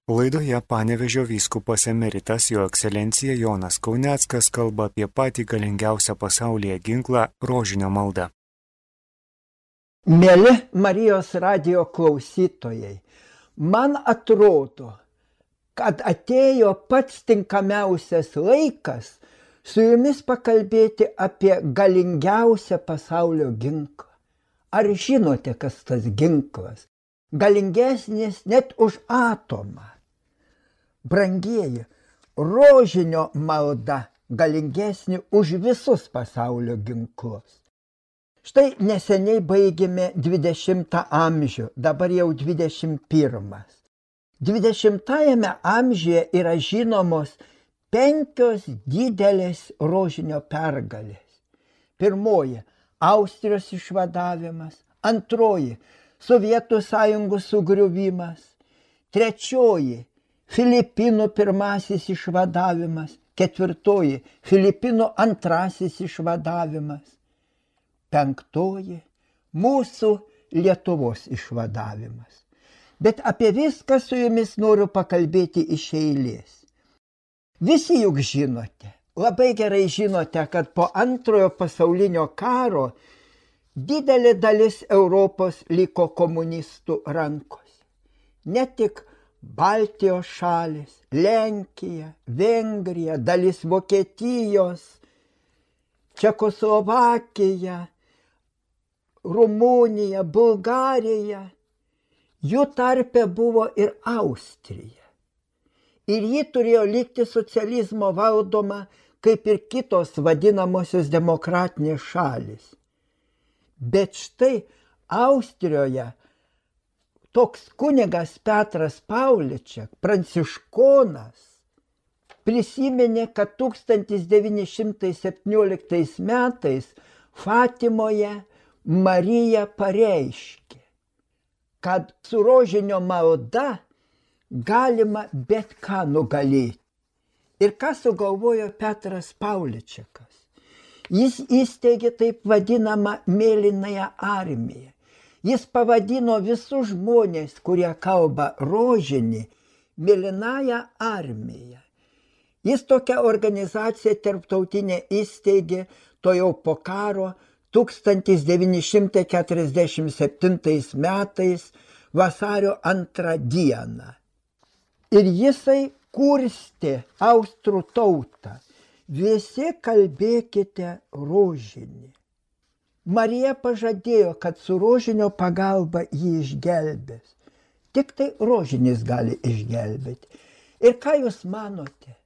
Laidoje Panevėžio vyskupas emeritas Jo ekscelencija Jonas Kauneckas kalba apie patį galingiausią pasaulyje ginklą – rožinio maldą. Mieli Marijos radijo klausytojai, man atrodo, kad atėjo pats tinkamiausias laikas su jumis pakalbėti apie galingiausią pasaulio ginklą. Ar žinote, kas tas ginklas? Galingesnis net už atomą. Brangieji, rožinio malda galingesnė už visus pasaulio ginklus. Štai neseniai baigėme 20 amžių, dabar jau 21. 20-ajame amžiuje yra žinomos 5 didelės rožinio pergalės. Pirmoji – Austrijos išvadavimas, antroji – Sovietų sąjungos sugriuvimas, trečioji – Filipinų pirmasis išvadavimas, ketvirtoji – Filipinų antrasis išvadavimas, penktoji – mūsų Lietuvos išvadavimas. Bet apie viską su jumis noriu pakalbėti iš eilės. Visi juk žinote, labai gerai žinote, kad po Antrojo pasaulinio karo didelė dalis Europos liko komunistų rankose. Ne tik Baltijos šalis, Lenkija, Vengrija, dalis Vokietijos, Čekoslovakija, Rumunija, Bulgarija. Jų tarpe buvo ir Austrija. Ir ji turėjo likti socializmo valdoma, kaip ir kitos vadinamosios demokratinės šalis. Bet štai Austrijoje toks kunigas Petras Pauliček, pranciškonas, prisiminė, kad 1917 metais Fatimoje Marija pareiškė, kad su rožinio malda galima bet ką nugalėti. Ir ką sugalvojo Petras Pauličekas? Jis įsteigė taip vadinamą mėlynąją armiją. Jis pavadino visus žmonės, kurie kalba rožinį, mėlynąją armiją. Jis tokią organizaciją tarptautinę įsteigė tojau po karo 1947 metais vasario 2 dieną. Ir jisai kurstė austrų tautą. Visi kalbėkite rožinį. Marija pažadėjo, kad su rožinio pagalba jį išgelbės. Tik tai rožinis gali išgelbėti. Ir ką jūs manote?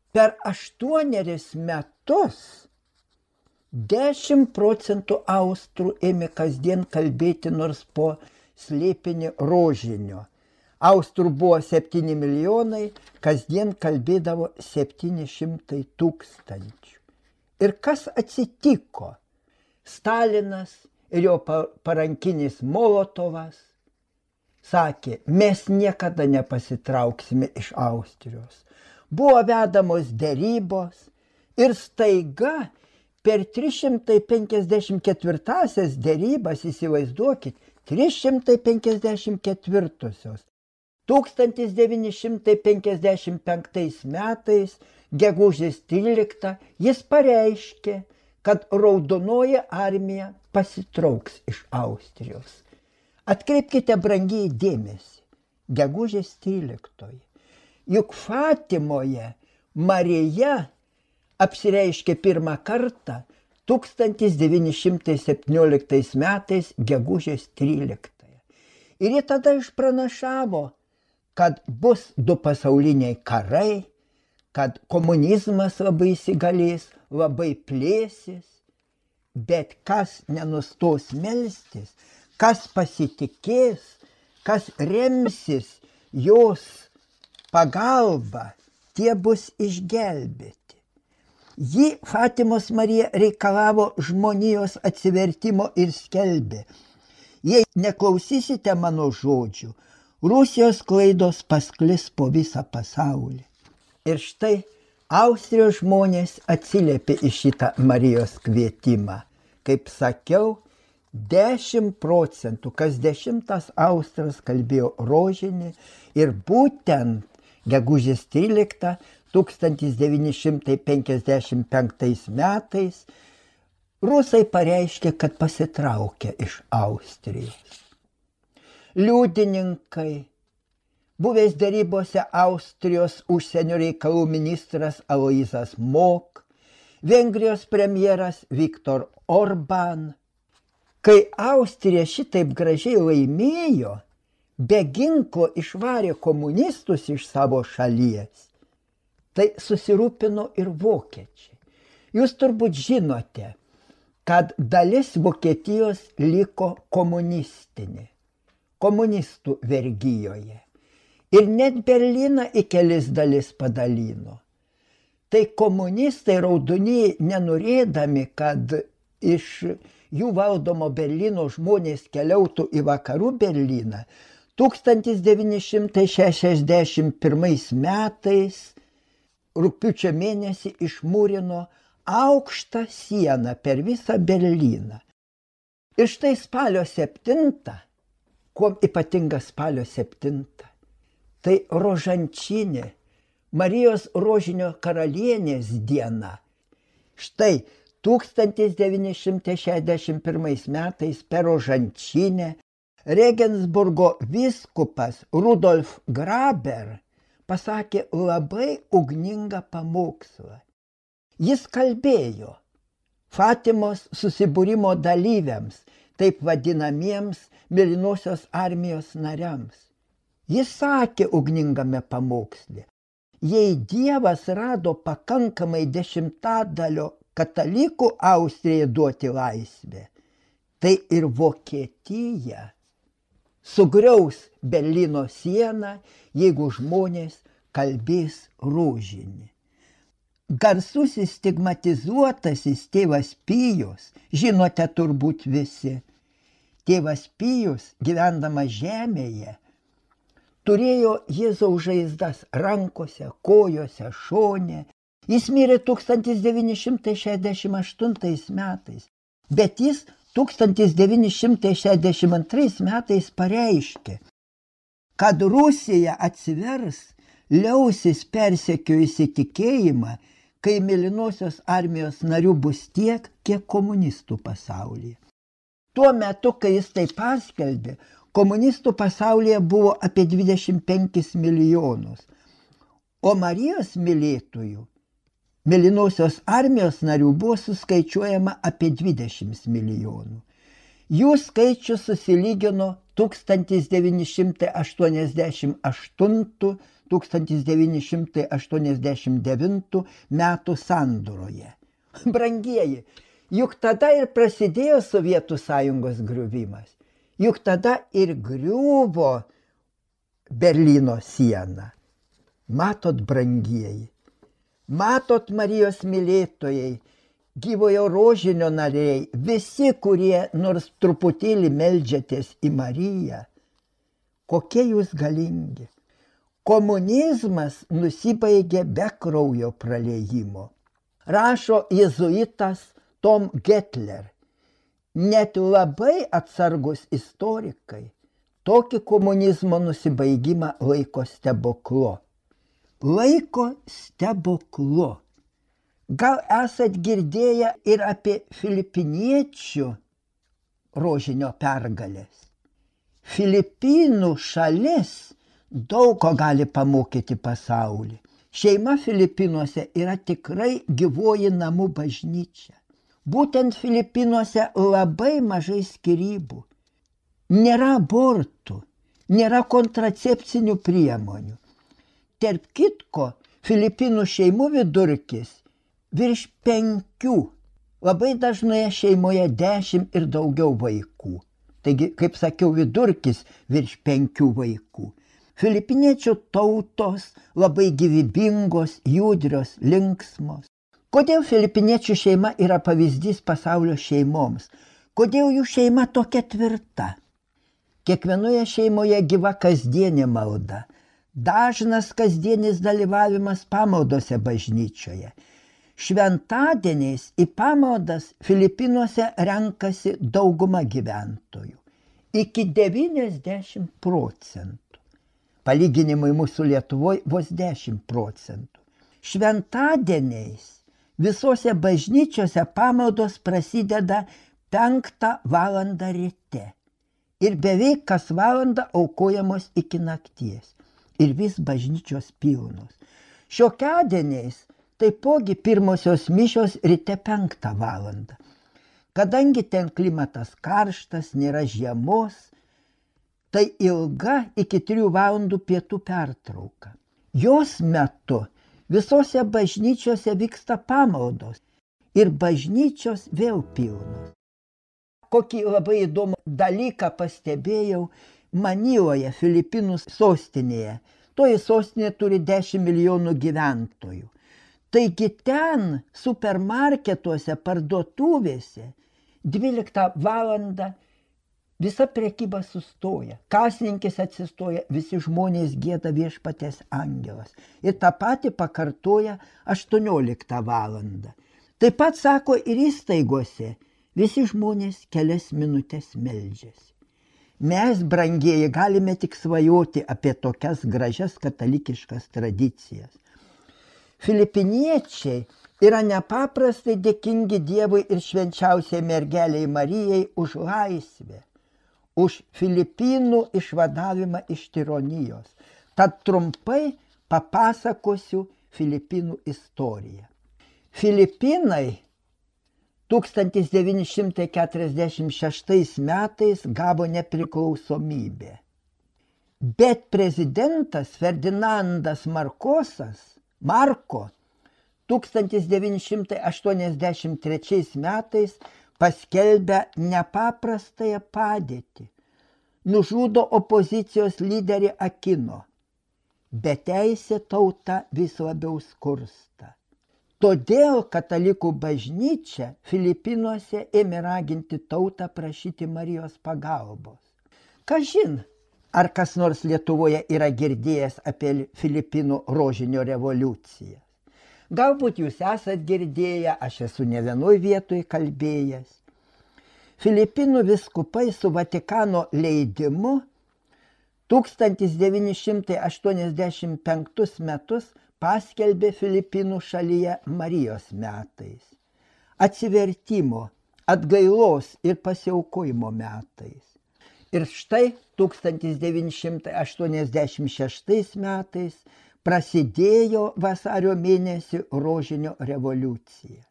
Per 8 metus 10% austrų ėmė kasdien kalbėti nors po slėpinį rožinio. Austrų buvo 7 milijonai, kasdien kalbėdavo 700 tūkstančių. Ir kas atsitiko? Stalinas ir jo parankinis Molotovas sakė, mes niekada nepasitrauksime iš Austrijos. Buvo vedamos derybos ir staiga per 354 derybas, įsivaizduokit, 354-osios. 1955 metais, gegužės 13, jis pareiškė, kad raudonoji armija pasitrauks iš Austrijos. Atkreipkite brangiai dėmesį, gegužės 13. Juk Fatimoje Marija apsireiškė pirmą kartą 1917 metais gegužės 13. Ir ji tada išpranašavo, kad bus 2 pasauliniai karai, kad komunizmas labai įsigalės, labai plėsis, bet kas nenustos melstis, kas pasitikės, kas remsis jos pagalba, tie bus išgelbėti. Ji, Fatimos Marija, reikalavo žmonijos atsivertimo ir skelbė: jei neklausysite mano žodžių, Rusijos klaidos pasklis po visą pasaulį. Ir štai Austrijos žmonės atsiliepė į šitą Marijos kvietimą. Kaip sakiau, 10%, kas 10 austras kalbėjo rožinį ir būtent gegužės 13 1955 metais rusai pareiškė, kad pasitraukė iš Austrijos. Liudininkai, buvęs derybose Austrijos užsienio reikalų ministras Aloyzas Mok, Vengrijos premjeras Viktor Orban. Kai Austrija šitaip gražiai laimėjo, be ginklo išvarė komunistus iš savo šalies, tai susirūpino ir vokiečiai. Jūs turbūt žinote, kad dalis Vokietijos liko komunistinė, komunistų vergijoje. Ir net Berlyną į kelis dalis padalino. Tai komunistai raudonieji, nenorėdami, kad iš jų valdomo Berlyno žmonės keliautų į vakarų Berlyną, 1961 metais rugpjūčio mėnesį išmūrino aukštą sieną per visą Berlyną. Ir štai spalio 7, kuo ypatinga spalio 7, tai rožančinė, Marijos rožinio karalienės diena. Štai 1961 metais per rožančinę Regensburgo vyskupas Rudolf Graber pasakė labai ugningą pamokslą. Jis kalbėjo Fatimos susibūrimo dalyviams, taip vadinamiems Mėlynosios armijos nariams. Jis sakė ugningame pamoksle, jei Dievas rado pakankamai 10% katalikų Austrijai duoti laisvę, tai ir Vokietija sugriaus Berlyno sieną, jeigu žmonės kalbės rožinį. Garsusis stigmatizuotasis tėvas Pijus, žinote turbūt visi, tėvas Pijus, gyvendamas žemėje, turėjo Jėzaus žaizdas rankose, kojose, šone. Jis mirė 1968 metais, bet jis 1962 metais pareiškė, kad Rusija atsivers, liausis persekiojusi tikėjimą, kai Mėlynosios armijos narių bus tiek, kiek komunistų pasaulyje. Tuo metu, kai jis tai paskelbė, komunistų pasaulyje buvo apie 25 milijonus, o Marijos mylėtojų, Mėlynosios armijos narių buvo suskaičiuojama apie 20 milijonų. Jų skaičius susilygino 1988–1989 metų sandūroje. Brangieji, juk tada ir prasidėjo Sovietų sąjungos griuvimas. Juk tada ir griuvo Berlyno siena. Matot, brangieji, matot, Marijos mylėtojai, gyvojo rožinio nariai, visi, kurie nors truputėlį meldžiatės į Mariją, kokie jūs galingi. Komunizmas nusibaigė be kraujo praliejimo. Rašo jėzuitas Tom Gettler. Net labai atsargus istorikai tokį komunizmo nusibaigimą laiko stebuklu. Laiko stebuklu. Gal esat girdėję ir apie filipiniečių rožinio pergalės. Filipinų šalis daug ko gali pamokyti pasaulį. Šeima Filipinuose yra tikrai gyvoji namų bažnyčia. Būtent Filipinuose labai mažai skyrybų. Nėra abortų, nėra kontracepcinių priemonių. Tarp kitko, Filipinų šeimų vidurkis virš 5, labai dažnoje šeimoje 10 ir daugiau vaikų. Taigi, kaip sakiau, vidurkis virš 5 vaikų. Filipiniečių tautos labai gyvybingos, judrios, linksmos. Kodėl filipiniečių šeima yra pavyzdys pasaulio šeimoms? Kodėl jų šeima tokia tvirta? Kiekvienoje šeimoje gyva kasdienė malda. Dažnas kasdienis dalyvavimas pamaldose bažnyčioje. Šventadieniais į pamaldas Filipinuose renkasi dauguma gyventojų. Iki 90%. Palyginimui mūsų Lietuvoje vos 10%. Šventadieniais visose bažnyčiose pamaldos prasideda 5 valandą ryte ir beveik kas valandą aukojamos iki nakties ir vis bažnyčios pilnos. Šiokiadieniais taipogi pirmosios mišios ryte 5 valandą. Kadangi ten klimatas karštas, nėra žiemos, tai ilga iki 3 valandų pietų pertrauka. Jos metu visose bažnyčiose vyksta pamaldos ir bažnyčios vėl pilnos. Kokį labai įdomų dalyką pastebėjau Maniloje, Filipinų sostinėje. Toji sostinė turi 10 milijonų gyventojų. Taigi ten supermarketuose, parduotuvėse 12 valandą visa prekyba sustoja. Kasininkės atsistoja, visi žmonės gieda Viešpaties angelas. Ir tą patį pakartoja 18 valandą. Taip pat sako ir įstaigose, visi žmonės kelias minutės meldžiasi. Mes, brangieji, galime tik svajoti apie tokias gražias katalikiškas tradicijas. Filipiniečiai yra nepaprastai dėkingi Dievui ir švenčiausiai mergeliai Marijai už laisvę, už Filipinų išvadavimą iš tironijos. Tad trumpai papasakosiu Filipinų istoriją. Filipinai 1946 metais gavo nepriklausomybę. Bet prezidentas Ferdinandas Marko 1983 metais paskelbia nepaprastąją padėtį. Nužudo opozicijos lyderį Aquino. Beteisė tauta vis labiau skursta. Todėl katalikų bažnyčia Filipinuose ėmė raginti tautą prašyti Marijos pagalbos. Kažin, ar kas nors Lietuvoje yra girdėjęs apie Filipinų rožinio revoliuciją. Galbūt jūs esat girdėję, aš esu ne vienoj vietoj kalbėjęs. Filipinų vyskupai su Vatikano leidimu 1985 metus paskelbė Filipinų šalyje Marijos metais, atsivertimo, atgailos ir pasiaukojimo metais. Ir štai 1986 metais prasidėjo vasario mėnesį rožinio revoliucija.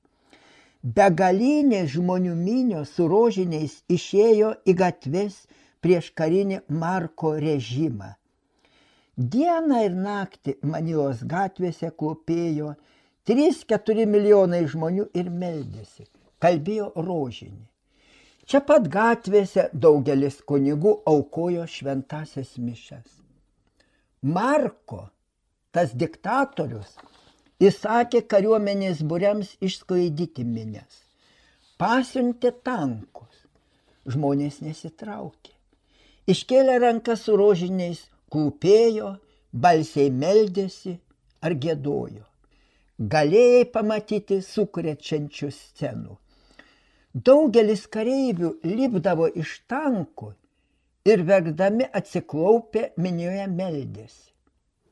Begalinė žmonių minios su rožiniais išėjo į gatves prieš karinį Marko režimą. Dieną ir naktį Manilos gatvėse klūpėjo 3-4 milijonai žmonių ir meldėsi, kalbėjo rožinį. Čia pat gatvėse daugelis kunigų aukojo šventąsias mišias. Marko, tas diktatorius, įsakė kariuomenės būriams išsklaidyti minias. Pasiuntė tankus. Žmonės nesitraukė. Iškėlė rankas su rožiniais, klūpėjo, balsiai meldėsi ar giedojo. Galėjai pamatyti sukrečiančių scenų. Daugelis kareivių lipdavo iš tankų ir verkdami atsiklaupę minioje meldėsi.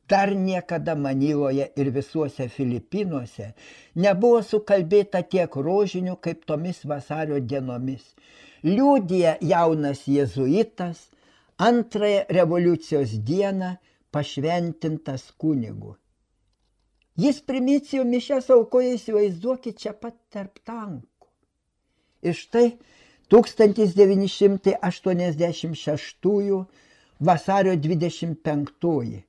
Dar niekada Maniloje ir visuose Filipinuose nebuvo sukalbėta tiek rožinių kaip tomis vasario dienomis. Liudija jaunas jėzuitas, antrąją revoliucijos dieną pašventintas kunigu. Jis primicijų mišias aukoja, įsivaizduokit, čia pat tarp tankų. Ir štai 1986 vasario 25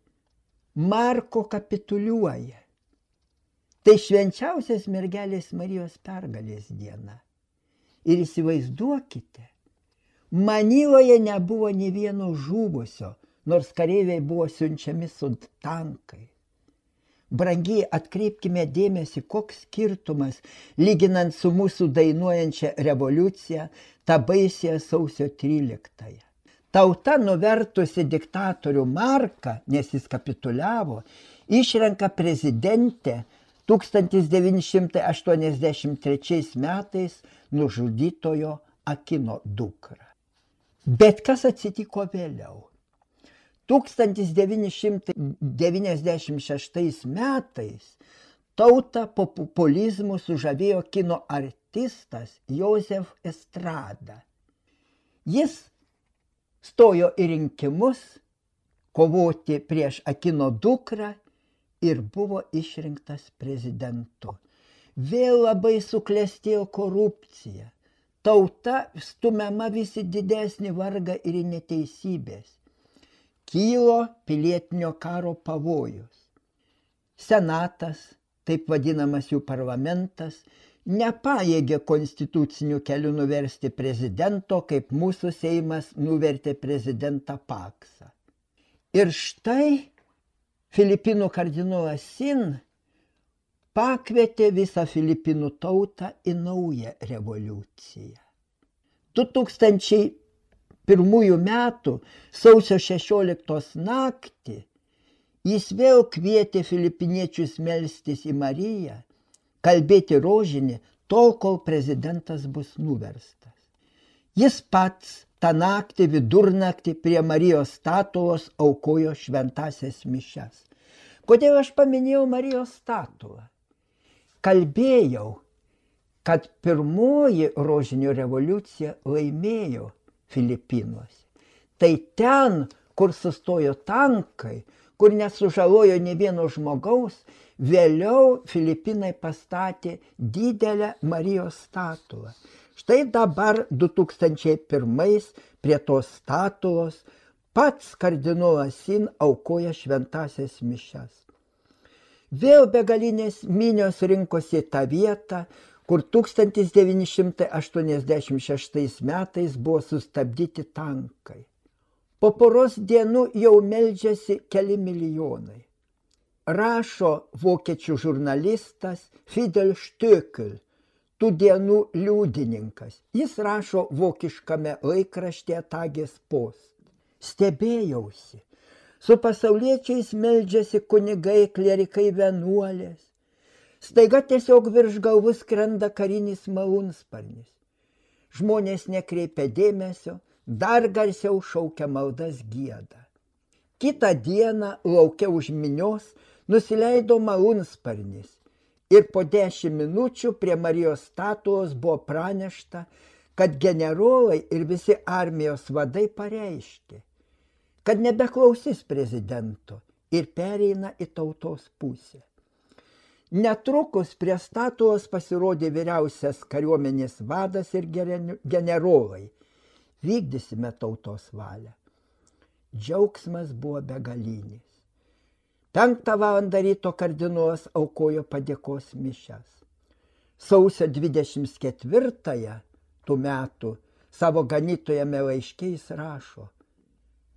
Marko kapituliuoja. Tai švenčiausias mergelės Marijos pergalės diena. Ir įsivaizduokite, Maniloje nebuvo nė vieno žuvusio, nors kareiviai buvo siunčiami su tankai. Brangiai, atkreipkime dėmesį, koks skirtumas, lyginant su mūsų dainuojančia revoliucija, tą baisią sausio 13. Tauta nuvertusi diktatorių Marką, nes jis kapituliavo, išrenka prezidentę 1983 metais nužudytojo Akino dukrą. Bet kas atsitiko vėliau? 1996 metais tautą populizmu sužavėjo kino artistas Josef Estrada. Jis stojo į rinkimus kovoti prieš Akino dukrą ir buvo išrinktas prezidentu. Vėl labai suklestėjo korupcija. Tauta stumiama visi didesnį vargą ir neteisybės. Kylo pilietinio karo pavojus. Senatas, taip vadinamas jų parlamentas, nepajėgė konstituciniu keliu nuversti prezidento, kaip mūsų Seimas nuvertė prezidentą Paksą. Ir štai Filipinų kardinolas Sin pakvietė visą Filipinų tautą į naują revoliuciją. 2001 metų sausio 16 naktį jis vėl kvietė filipiniečius melstis į Mariją, kalbėti rožinį tol, kol prezidentas bus nuverstas. Jis pats tą naktį vidurnaktį prie Marijos statulos aukojo šventąsias mišias. Kodėl aš paminėjau Marijos statulą? Kalbėjau, kad pirmoji rožinio revoliucija laimėjo Filipinuose. Tai ten, kur sustojo tankai, kur nesužalojo nė vieno žmogaus, vėliau Filipinai pastatė didelę Marijos statulą. Štai dabar 2001 prie tos statulos pats kardinolas Sin aukoja šventąsias mišias. Vėl begalinės minios rinkosi tą vietą, kur 1986 metais buvo sustabdyti tankai. Po poros dienų jau meldžiasi keli milijonai. Rašo vokiečių žurnalistas Fidel Stöckel, tų dienų liudininkas. Jis rašo vokiškame laikraštyje Tages Post. Stebėjausi. Su pasauliečiais meldžiasi kunigai, klerikai, vienuolės. Staiga tiesiog virš galvų skrenda karinis malūnsparnis. Žmonės nekreipia dėmesio, dar garsiau šaukia maldas gieda. Kitą dieną lauke už minios nusileido malūnsparnis ir po 10 minučių prie Marijos statulos buvo pranešta, kad generolai ir visi armijos vadai pareiškė, kad nebeklausys prezidento ir pereina į tautos pusę. Netrukus prie statulos pasirodė vyriausias kariuomenės vadas ir generolai. Vykdysime tautos valią. Džiaugsmas buvo begalinis. 5 valandą ryto kardinolas aukojo padėkos mišias. Sausio 24 tų metų savo ganytojame laiške jis rašo: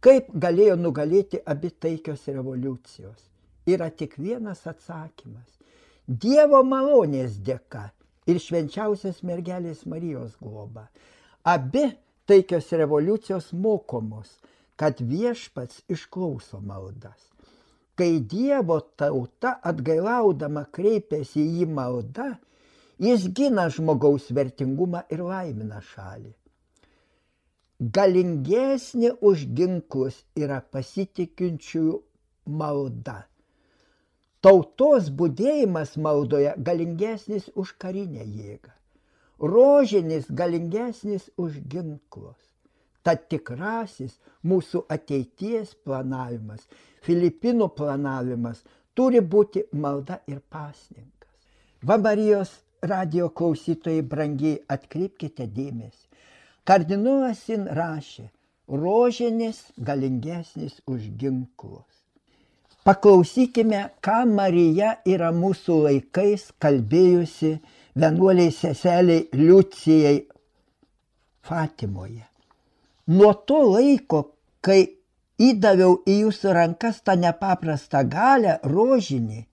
kaip galėjo nugalėti abi taikios revoliucijos? Yra tik vienas atsakymas. Dievo malonės dėka ir švenčiausios mergelės Marijos globa. Abi taikios revoliucijos mokomos, kad viešpats išklauso maldas. Kai Dievo tauta atgailaudama kreipiasi į jį malda, jis gina žmogaus vertingumą ir laimina šalį. Galingesnė už ginklus yra pasitikinčiųjų malda. Tautos budėjimas maldoje galingesnis už karinę jėgą. Rožinis galingesnis už ginklus. Tad tikrasis mūsų ateities planavimas, Filipinų planavimas turi būti malda ir pasninkas. Va, Marijos radijo klausytojai brangiai, atkreipkite dėmesį. Kardinolas Sin rašė: rožinis galingesnis už ginklus. Paklausykime, ką Marija yra mūsų laikais kalbėjusi vienuoliai seseliai Liucijai Fatimoje. Nuo to laiko, kai įdaviau į jūsų rankas tą nepaprastą galią, rožinį,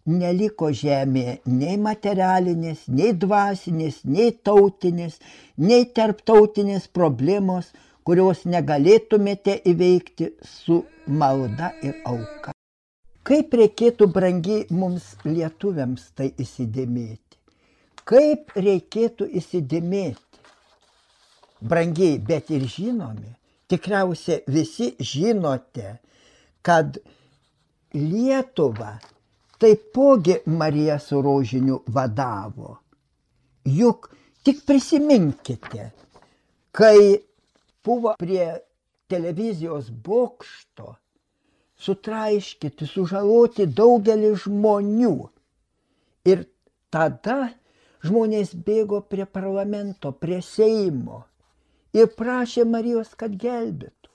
neliko žemėje nei materialinės, nei dvasinės, nei tautinės, nei tarptautinės problemos, kurios negalėtumėte įveikti su malda ir auka. Kaip reikėtų, brangiai, mums lietuviams tai įsidėmėti? Kaip reikėtų įsidėmėti? Brangiai, bet ir žinomi. Tikriausiai visi žinote, kad Lietuvą taipogi Marija su rožiniu vadavo. Juk tik prisiminkite, kai buvo prie televizijos bokšto sutraiškyti, sužaloti daugelį žmonių. Ir tada žmonės bėgo prie parlamento, prie Seimo ir prašė Marijos, kad gelbėtų.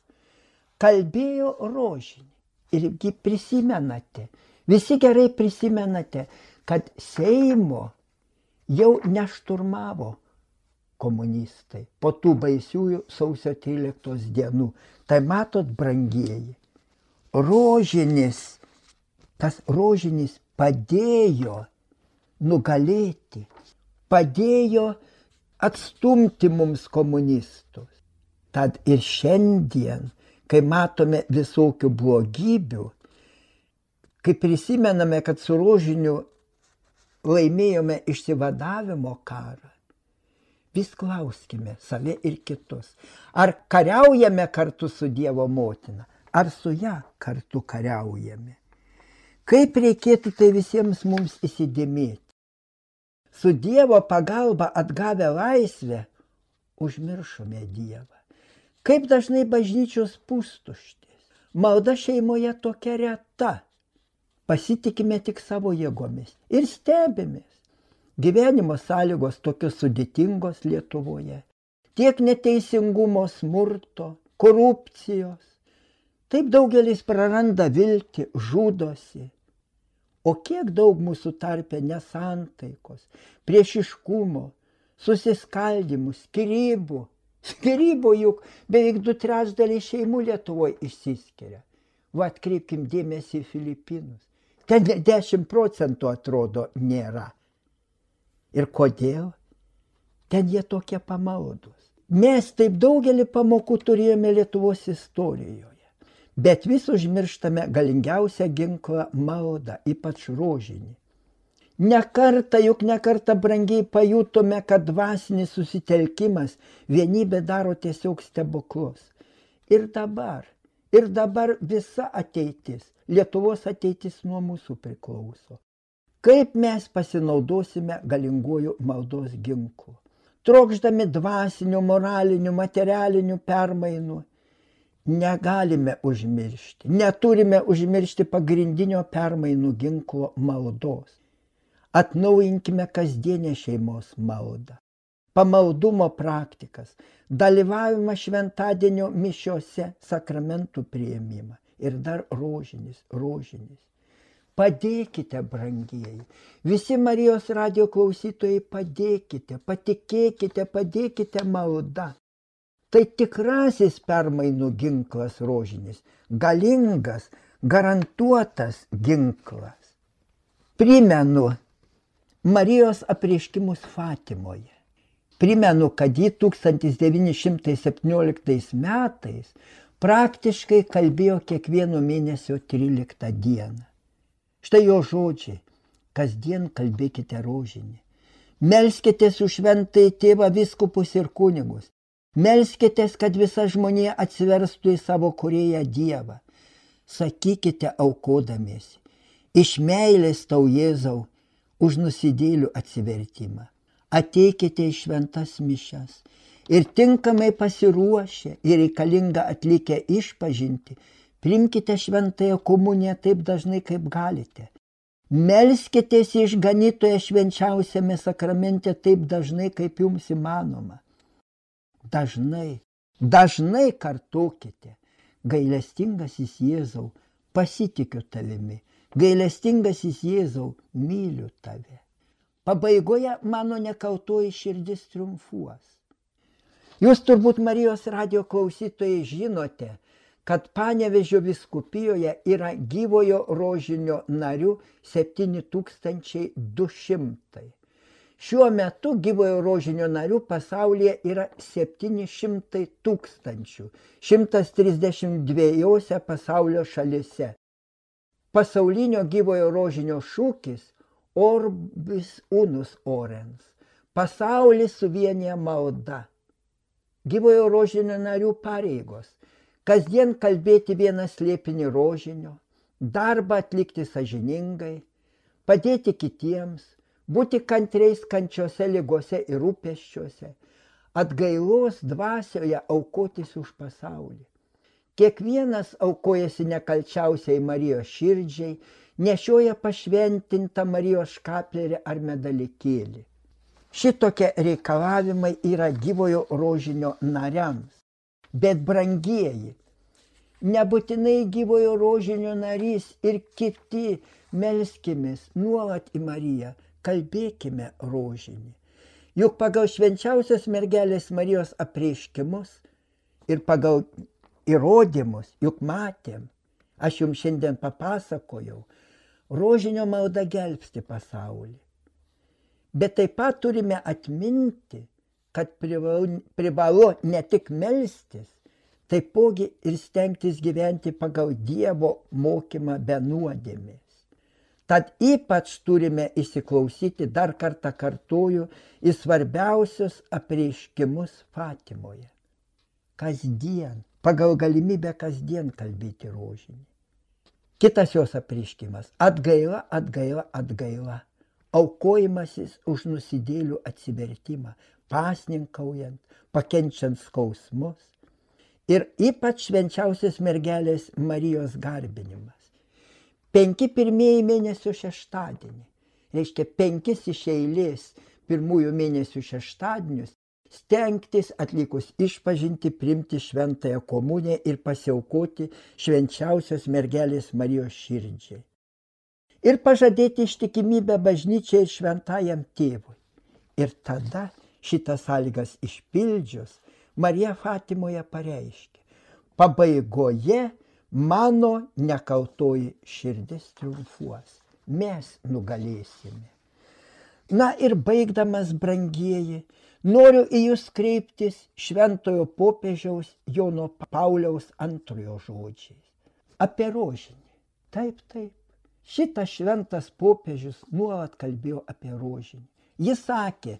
Kalbėjo rožinį. Irgi prisimenate, visi gerai prisimenate, kad Seimo jau nešturmavo komunistai po tų baisiųjų sausio 13 dienų. Tai matot, brangieji, tas rožinis padėjo nugalėti, padėjo atstumti mums komunistus. Tad ir šiandien, kai matome visokių blogybių, kai prisimename, kad su rožiniu laimėjome išsivadavimo karą, vis klauskime save ir kitus, ar kariaujame kartu su Dievo motina, ar su ją kartu kariaujame. Kaip reikėtų tai visiems mums įsidėmėti? Su Dievo pagalba atgavę laisvę, užmiršome Dievą. Kaip dažnai bažnyčios pustuštės, malda šeimoje tokia reta. Pasitikime tik savo jėgomis ir stebimės. Gyvenimo sąlygos tokios sudėtingos Lietuvoje. Tiek neteisingumo, smurto, korupcijos. Taip daugelis praranda viltį, žudosi. O kiek daug mūsų tarpe nesantaikos, priešiškumo, susiskaldimų, skyrybų. Skyrybų juk beveik 2/3 šeimų Lietuvoje išsiskiria. Va, atkreipkim dėmesį į Filipinus. Ten 10% atrodo nėra. Ir kodėl? Ten jie tokie pamaldūs. Mes taip daugelį pamokų turėjome Lietuvos istorijoje. Bet vis užmirštame galingiausią ginklą maldą, ypač rožinį. Nekartą brangiai pajutome, kad dvasinis susitelkimas vienybė daro tiesiog stebuklus. Ir dabar visa ateitis, Lietuvos ateitis nuo mūsų priklauso. Kaip mes pasinaudosime galinguoju maldos ginklu? Trokšdami dvasinių, moralinių, materialinių permainų, negalime užmiršti, neturime užmiršti pagrindinio permainų ginklo maldos. Atnaujinkime kasdienę šeimos maldą, pamaldumo praktikas, dalyvavimą šventadienio mišiose, sakramentų priėmimą ir dar rožinis. Padėkite, brangieji, visi Marijos radijo klausytojai, padėkite, patikėkite, padėkite malda. Tai tikrasis permainų ginklas rožinis, galingas, garantuotas ginklas. Primenu Marijos apreiškimus Fatimoje. Primenu, kad ji 1917 metais praktiškai kalbėjo kiekvieno mėnesio 13 dieną. Štai jo žodžiai, kasdien kalbėkite rožinį. Melskitės už šventąjį tėvą, vyskupus ir kunigus. Melskitės, kad visa žmonija atsiverstų į savo kūrėją Dievą. Sakykite aukodamiesi, iš meilės tau Jėzau, už nusidėlių atsivertimą. Ateikite į šventas mišias ir tinkamai pasiruošę ir reikalingą atlikę išpažinti, priimkite šventąją komuniją taip dažnai, kaip galite. Melskitės į išganytoją švenčiausiame sakramente taip dažnai, kaip jums įmanoma. Dažnai kartokite, gailestingasis Jėzau, pasitikiu tavimi, gailestingasis Jėzau, myliu tave. Pabaigoje mano nekaltoji širdis triumfuos. Jūs turbūt Marijos radijo klausytojai žinote, kad Panevėžio vyskupijoje yra gyvojo rožinio narių 7200. Šiuo metu gyvojo rožinio narių pasaulyje yra 700 000, 132 pasaulio šalyse. pasaulinio gyvojo rožinio šūkis Orbis unus orens. Pasaulis suvienyje malda. Gyvojo rožinio narių pareigos. Kasdien kalbėti vieną slėpinį rožinio, darbą atlikti sąžiningai, padėti kitiems, būti kantriais kančiose, ligose ir rūpesčiuose, atgailos dvasioje aukotis už pasaulį. Kiekvienas aukojasi nekalčiausiai Marijos širdžiai, nešioja pašventintą Marijos škaplerį ar medalikėlį. Šitokie reikalavimai yra gyvojo rožinio nariams. Bet brangieji, nebūtinai gyvojo rožinio narys ir kiti melskimės nuolat į Mariją, kalbėkime rožinį. Juk pagal švenčiausios mergelės Marijos apreiškimus ir pagal įrodymus, juk matėm, aš jums šiandien papasakojau, rožinio malda gelbsti pasaulį. Bet taip pat turime atminti, kad privalu ne tik melstis, taipogi ir stengtis gyventi pagal Dievo mokymą be nuodėmės. Tad ypač turime įsiklausyti, dar kartą kartoju, į svarbiausius apreiškimus Fatimoje. Kasdien, pagal galimybę kasdien kalbėti rožinį. Kitas jos apreiškimas – atgaila, atgaila, atgaila. Aukojimasis už nusidėlių atsivertimą, pasninkaujant, pakenčiant skausmus ir ypač švenčiausios mergelės Marijos garbinimas. 5 pirmieji mėnesio šeštadienį, reiškia 5 iš eilės pirmųjų mėnesių šeštadienius, stengtis atlikus išpažinti priimti šventąją komuniją ir pasiaukoti švenčiausios mergelės Marijos širdžiai. Ir pažadėti ištikimybę bažnyčiai ir šventajam tėvui. Ir tada šitas sąlygas išpildžius, Marija Fatimoje pareiškė, pabaigoje mano nekaltoji širdis triumfuos, mes nugalėsime. Na ir baigdamas, brangieji, noriu į jūs kreiptis šventojo popiežiaus Jono Pauliaus II žodžiais. Apie rožinį. Taip, taip. Šitas šventas popiežius nuolat kalbėjo apie rožinį. Jis sakė,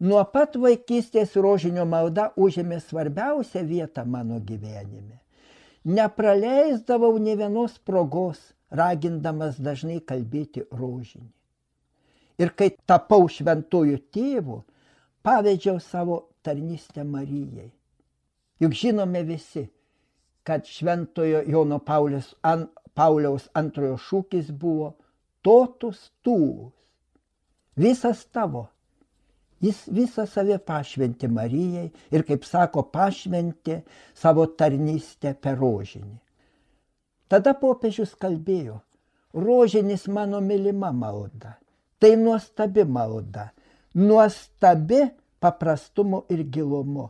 nuo pat vaikystės rožinio malda užėmė svarbiausią vietą mano gyvenime. Nepraleisdavau nė vienos progos, ragindamas dažnai kalbėti rožinį. Ir kai tapau šventuoju tėvu, pavedžiau savo tarnystę Marijai. Juk žinome visi, kad šventojo Jono Pauliaus II šūkis buvo totus tuus. Visas tavo. Jis visą save pašventė Marijai ir, kaip sako, pašventė savo tarnystę per rožinį. Tada popiežius kalbėjo, rožinis mano mylima malda. Tai nuostabi malda, nuostabi paprastumu ir gilumu.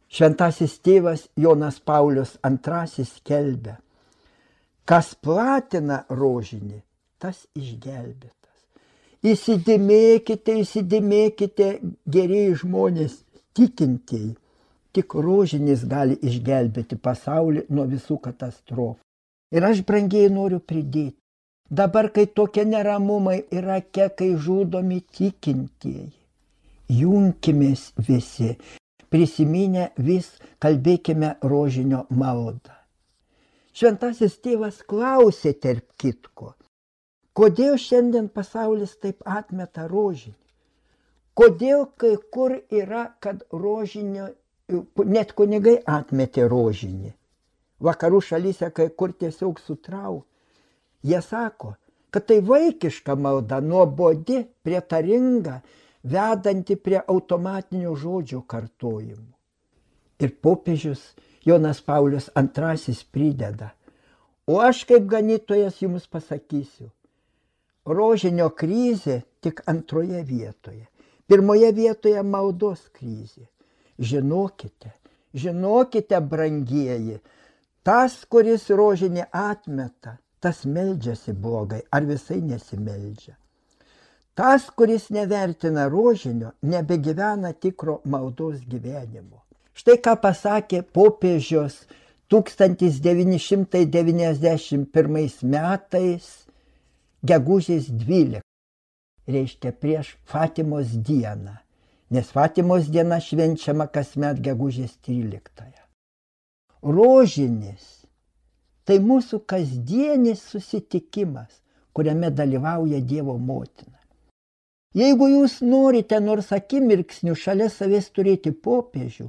Šventasis tėvas Jonas Paulius II skelbia, kas platina rožinį, tas išgelbėtas. Įsidėmėkite, gerieji žmonės, tikintieji. Tik rožinis gali išgelbėti pasaulį nuo visų katastrofų. Ir aš, brangieji, noriu pridėti. Dabar, kai tokie neramumai Irake, kai žudomi tikintieji, junkimės visi, prisiminę vis kalbėkime rožinio maldą. Šventasis tėvas klausė tarp kitko, kodėl šiandien pasaulis taip atmeta rožinį? Kodėl kai kur yra, kad rožinio, net kunigai atmetė rožinį? Vakarų šalyse kai kur tiesiog sutraukė. Jie sako, kad tai vaikiška malda, nuobodi, prietaringa, vedanti prie automatinio žodžio kartojimų. Ir popiežius Jonas Paulius II prideda, o aš kaip ganytojas jums pasakysiu, rožinio krizė tik antroje vietoje. Pirmoje vietoje maldos krizė. Žinokite, brangieji, tas, kuris rožinį atmeta, tas meldžiasi blogai ar visai nesimeldžia. Tas, kuris nevertina rožinio, nebegyvena tikro maldos gyvenimo. Štai ką pasakė popiežius 1991 metais gegužės 12, reiškia prieš Fatimos dieną, nes Fatimos diena švenčiama kasmet gegužės 13. Rožinis tai mūsų kasdienis susitikimas, kuriame dalyvauja Dievo motina. Jeigu jūs norite nors akimirksniu šalia savęs turėti popiežių,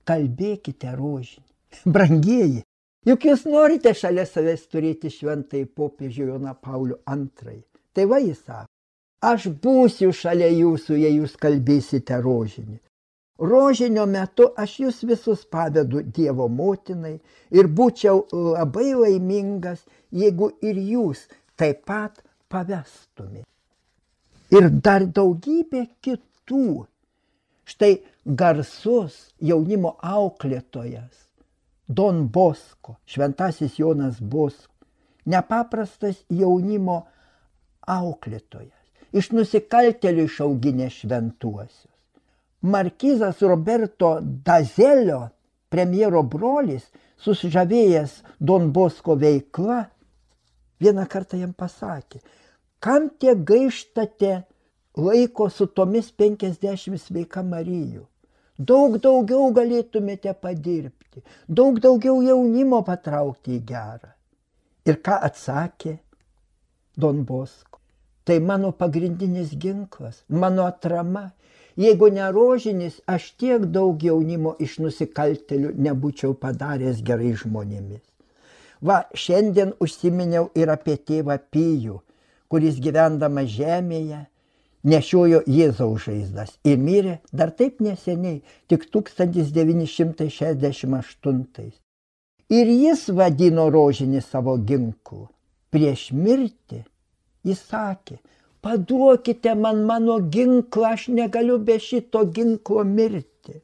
kalbėkite rožinį. Brangieji, juk jūs norite šalia savęs turėti šventąjį popiežių Joną Paulių II. Tai va jis sako, aš būsiu šalia jūsų, jei jūs kalbėsite rožinį. Rožinio metu aš jūs visus pavedu Dievo motinai ir būčiau labai laimingas, jeigu ir jūs taip pat pavestumėte. Ir dar daugybė kitų. Štai garsus jaunimo auklėtojas Don Bosko, šventasis Jonas Bosko, nepaprastas jaunimo auklėtojas, iš nusikaltėlių išauginę šventuosius. Markizas Roberto Dazelio, premjero brolis, susižavėjęs Don Bosko veikla, vieną kartą jam pasakė, kam tiek gaištate laiko su tomis 50 sveika Marijų? Daug daugiau galėtumėte padirbti, daug daugiau jaunimo patraukti į gerą. Ir ką atsakė Don Bosko? Tai mano pagrindinis ginklas, mano atrama. Jeigu ne rožinis, aš tiek daug jaunimo iš nusikaltėlių nebūčiau padaręs gerai žmonėmis. Va, šiandien užsiminiau ir apie tėvą Pijų, kuris gyvendamas žemėje nešiojo Jėzaus žaizdas ir mirė dar taip neseniai, tik 1968. Ir jis vadino rožinį savo ginklu. Prieš mirtį jis sakė, paduokite man mano ginklą, aš negaliu be šito ginklo mirti.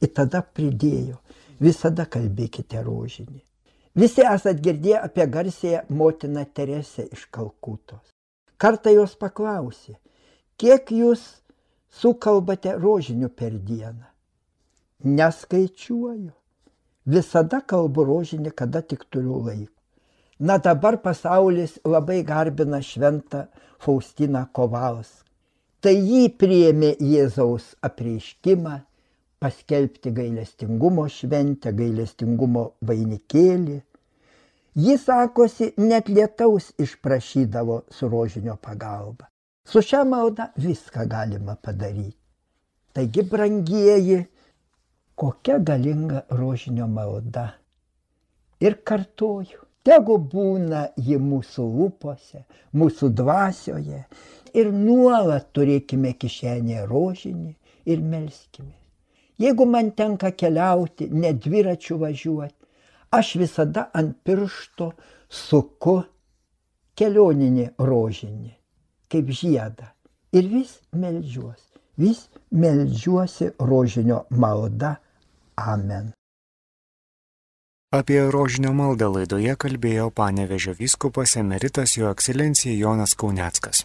Ir tada pridėjo, visada kalbėkite rožinį. Visi esat girdėję apie garsėją motiną Teresę iš Kalkutos. Kartą jos paklausė, kiek jūs sukalbate rožinių per dieną? Neskaičiuoju. Visada kalbu rožinį, kada tik turiu laiko. Na dabar pasaulis labai garbina šventą Faustiną Kovalską. Tai jį priėmė Jėzaus apreiškimą, paskelbti gailestingumo šventę, gailestingumo vainikėlį. Ji, sakosi, net lietaus išprašydavo su rožinio pagalba. Su šia malda viską galima padaryti. Taigi, brangieji, kokia galinga rožinio malda. Ir kartoju, tegu būna ji mūsų lūpose, mūsų dvasioje ir nuolat turėkime kišenėje rožinį ir melskime. Jeigu man tenka keliauti, ne dviračiu važiuoti, aš visada ant piršto suku kelioninį rožinį, kaip žiedą. Ir vis meldžiuosi rožinio malda. Amen. Apie rožinio maldą laidoje kalbėjo Panevėžio vyskupas emeritas jo ekscelencija Jonas Kauneckas.